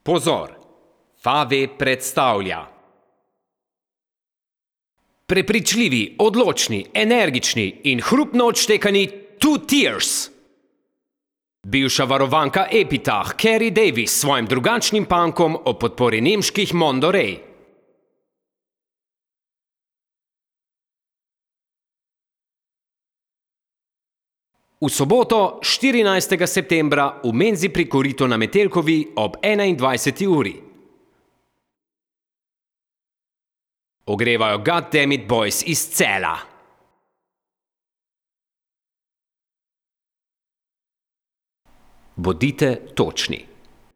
Pozor! Fave predstavlja prepričljivi, odločni, energični in hrupno odštekani Two Tears. Bivša varovanka Epitaph Carrie Davis s svojim drugačnim punkom o podpori nemških Monterey. V soboto, 14. septembra, v menzi pri Koritu na Metelkovi ob 21. uri. Ogrevajo Goddamit Boys iz Celja. Bodite točni.